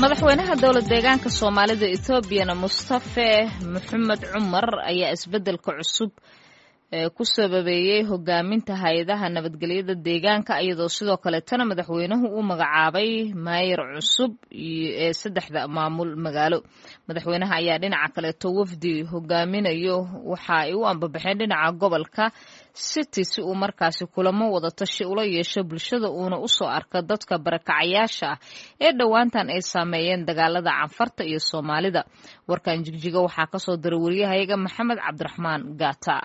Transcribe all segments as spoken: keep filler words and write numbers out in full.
Madaxweynaha dowlad deegaanka Soomaalida Etoobiyana, Mustafe Maxamed Cumar, ayaa isbeddelka cusub ku sababeeyey hogaaminta hay-adaha nabadgelyada deegaanka, iyadoo sidoo kaleetana madaxweynuhu uu magacaabay maayar cusub ee saddexda maamul magaalo. Madaxweynaha ayaa dhinaca kaleeto wafdi hogaaminayo waxa ay u ambabaxeen dhinaca gobolka City si uu markaasi kulamo wadatashi ula yeesho bulshada, uuna usoo arka dadka barakacayaasha ah ee dhowaantan ay saameeyeen dagaalada Canfarta iyo Soomaalida. Warkan Jigjiga waxaa kasoo diray wariyahayaga Maxamed Cabdiraxmaan Gaata.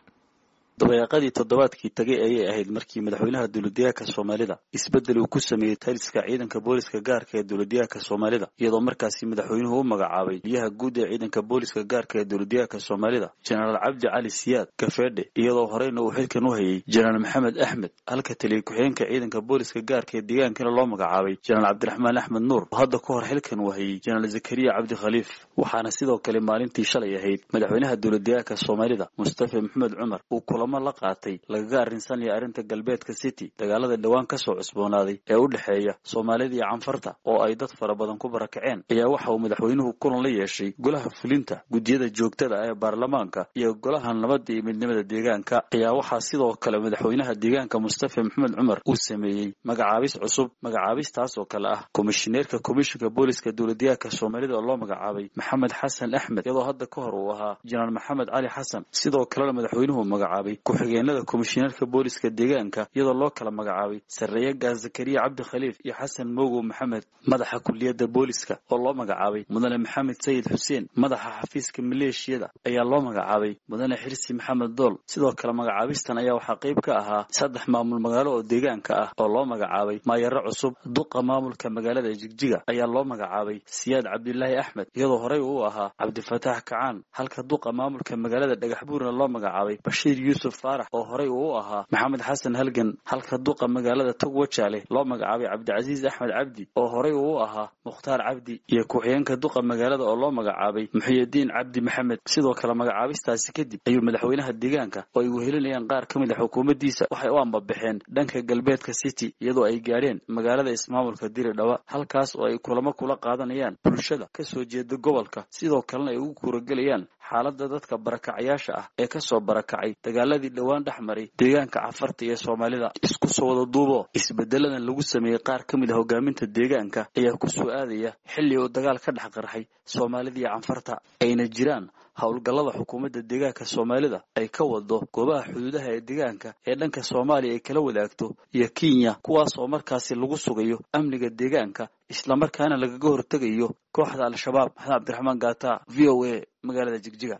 Dabayaaqadii toddobaadkii tagay ayay ahayd markii madaxweynaha dowladdeegaanka Soomaalida isbeddel uu ku sameeyey taliska ciidanka booliska gaarka ee dowladdeegaanka Soomaalida, iyadoo markaasi madaxweynuhu u magacaabay taliyaha guud ee ciidanka booliska gaarka ee dowladdeegaanka Soomaalida, Jenaraal Cabdi Cali Siyaad Gafeedhe, iyadoo horeyna uu xilkan u hayay Jenaraal Maxamed Axmed, halka taliya ku-xigeenka ciidanka booliska gaarka ee deegaankana loo magacaabay Jenaraal Cabdiraxmaan Axmed Nuur oo hadda ka hor xilkan uu hayay Jenaraal Zakariya Cabdi Khaliif. Waxaana sidoo kale maalintii shalay ahayd madaxweynaha dowladdeegaanka Soomaalida, Mustafa Maxamed Cumar, uu kulamo la qaatay lagaga arrinsanaya arrinta galbeedka City, dagaalada dhowaan ka soo cusboonaaday ee u dhexeeya Soomaalida iyo Canfarta oo ay dad fara badan ku barakaceen. Ayaa waxa uu madaxweynuhu kulan la yeeshay golaha fulinta, guddiyada joogtada ee baarlamaanka iyo golaha nabadda iyo midnimada deegaanka. Ayaa waxaa sidoo kale madaxweynaha deegaanka, Mustafa Maxamed Cumar, uu sameeyey magacaabis cusub, magacaabistaas oo kale ah komishineerka komishinka booliska dowladdeegaanka Soomaalida oo loo magacaabay Maxamed Xasan Axmed, iyadoo hadda ka hor uu ahaa Jenaraal Maxamed Cali Xasan. Sidoo kalena madaxweynuhu magacaabay ku-xigeenada komishineerka booliska deegaanka, iyadoo loo kala magacaabay Sarreeye Gaas Zakariya Cabdi Khaliif iyo Xasan Mogow Maxamed. Madaxa kuliyadda booliska oo loo magacaabay Mudane Maxamed Sayid Xuseen. Madaxa xafiiska maleeshiyada ayaa loo magacaabay Mudane Xirsi Maxamed Dool. Sidoo kale magacaabistan ayaa waxaa qayb ka ahaa saddex maamul magaalo oo deegaanka ah oo loo magacaabay maayaro cusub. Duqa maamulka magaalada Jigjiga ayaa loo magacaabay Siyaad Cabdilaahi Axmed, iyadoo horey uu ahaa Cabdifataax Kacaan, halka duqa maamulka magaalada Dhagaxbuurna loo magacaabay Bashiir Yuusuf Faarax oo horey uu ahaa Maxamed Xasan Halgan, halka duqa magaalada Togwajaale loo magacaabay Cabdicasiis Axmed Cabdi oo horey uu ahaa Mukhtaar Cabdi, iyo ku-xigeenka duqa magaalada oo loo magacaabay Muxiyadiin Cabdi Maxamed. Sidoo kale magacaabistaasi kadib ayuu madaxweynaha deegaanka oo ay wehelinayaan qaar ka mid a xukuumaddiisa waxay u ambabaxeen dhanka galbeedka City, iyadoo ay gaadheen magaalada ismaamulka Diridhaba, halkaas oo ay kulamo kula qaadanayaan bulshada ka soo jeeda gobolka, sidoo kalena ay ugu kuuragelayaan xaaladda dadka barakacayaasha ah ee kasoo barakacay dagaaladii dhowaan dhex maray deegaanka Cafarta iyo Soomaalida. Isku soo wada duubo, isbedeladan lagu sameeyey qaar ka mid a hogaaminta deegaanka ayaa ku soo aadaya xilli uu dagaal ka dhex qarxay Soomaalida iyo Canfarta, ayna jiraan howlgallada xukuumadda deegaanka Soomaalida ay ka wado goobaha xuduudaha ee deegaanka ee dhanka Soomaaliya ay kala wadaagto iyo Kenya, kuwaas oo markaasi lagu sugayo amniga deegaanka, islamarkaana lagaga hortegayo kooxda Al-Shabaab. Maxamed Cabdiraxmaan Gaata, V O A, magaalada Jigjiga.